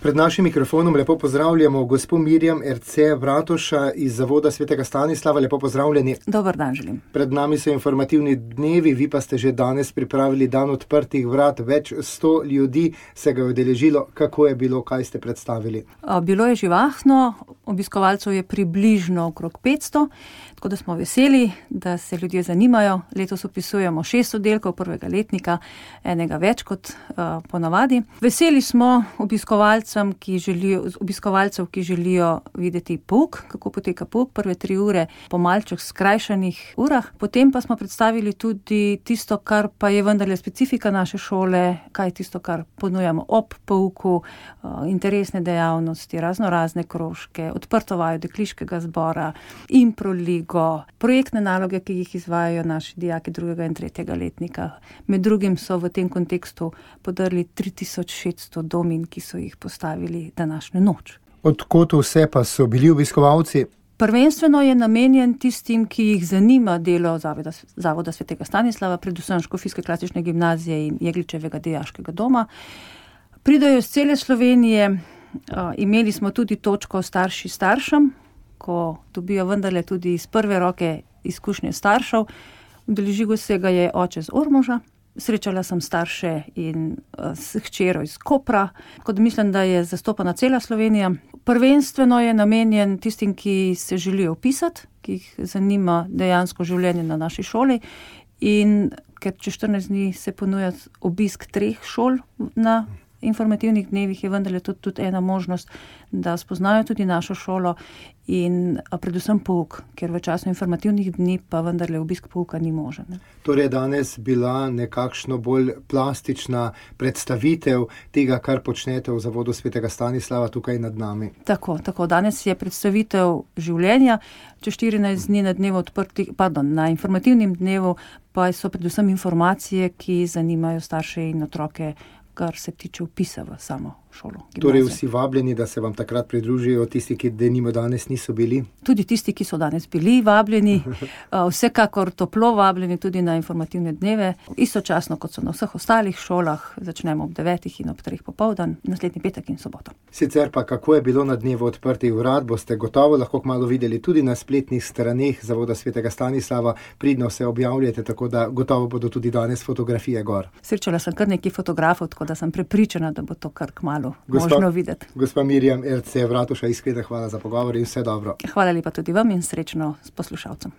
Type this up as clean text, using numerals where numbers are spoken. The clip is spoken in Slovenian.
Pred našim mikrofonom lepo pozdravljamo gospo Mirjam Erce Vratuša iz Zavoda svetega Stanislava. Lepo pozdravljeni. Dober dan želim. Pred nami so informativni dnevi, vi pa ste že danes pripravili dan odprtih vrat. Več 100 ljudi se ga je udeležilo. Kako je bilo, kaj ste predstavili? Bilo je živahno, obiskovalcev je približno okrog 500, tako da smo veseli, da se ljudje zanimajo. Letos opisujemo 6 oddelkov prvega letnika, enega več kot ponavadi. Veseli smo obiskovalcev, ki želijo videti pouk, kako poteka pouk, prve 3 ure po malček skrajšanih urah. Potem pa smo predstavili tudi tisto, kar pa je vendarle specifika naše šole, kaj je tisto, kar ponujamo ob pouku, interesne dejavnosti, raznorazne krožke, odprto vajo dekliškega zbora, improligo, projektne naloge, ki jih izvajajo naši dijaki 2. in 3. letnika. Med drugim so v tem kontekstu podrli 3600 domin, ki so jih postavili današnjo noč. Od kod vse pa so bili obiskovalci? Prvenstveno je namenjen tistim, ki jih zanima delo Zavoda svetega Stanislava, predvsem Škofijske klasične gimnazije in Jegličevega dijaškega doma. Pridejo iz cele Slovenije, imeli smo tudi točko starši staršem, ko dobijo vendarle tudi iz prve roke izkušnje staršev. Udeležil se ga je oče z Ormoža. Srečala sem starše in s hčero iz Kopra, tako da mislim, da je zastopana cela Slovenija. Prvenstveno je namenjen tistim, ki se želijo vpisati, ki jih zanima dejansko življenje na naši šoli, in ker čez 14 dni se ponuja obisk 3 šol na informativnih dnevih, je vendarle tudi ena možnost, da spoznajo tudi našo šolo in predvsem pouk, ker v času informativnih dni pa vendarle obisk pouka ni možen. Torej je danes bila nekakšno bolj plastična predstavitev tega, kar počnete v Zavodu svetega Stanislava tukaj nad nami. Tako. Danes je predstavitev življenja, čez 14 dni na informativnem dnevu pa so predvsem informacije, ki zanimajo starše in otroke, kar se tiče vpisa v samo šolo. Torej vsi vabljeni, da se vam takrat pridružijo, tisti, ki denimo danes niso bili? Tudi tisti, ki so danes bili vabljeni, vsekakor toplo vabljeni tudi na informativne dneve. Istočasno, kot so na vseh ostalih šolah, začnemo ob 9 in ob 3 popoldan, naslednji petek in soboto. Sicer pa, kako je bilo na dnevu odprtih vrat, boste gotovo lahko kmalu videli tudi na spletnih straneh Zavoda svetega Stanislava. Pridno se objavljate, tako da gotovo bodo tudi danes fotografije gor. Srečala sem kar nekaj fotografov, tako da sem prepričana, da bo to kar kmalu možno videti. Gospa Mirjam Erce Vratuša, iskrena hvala za pogovor in vse dobro. Hvala lepa tudi vam in srečno s poslušalcem.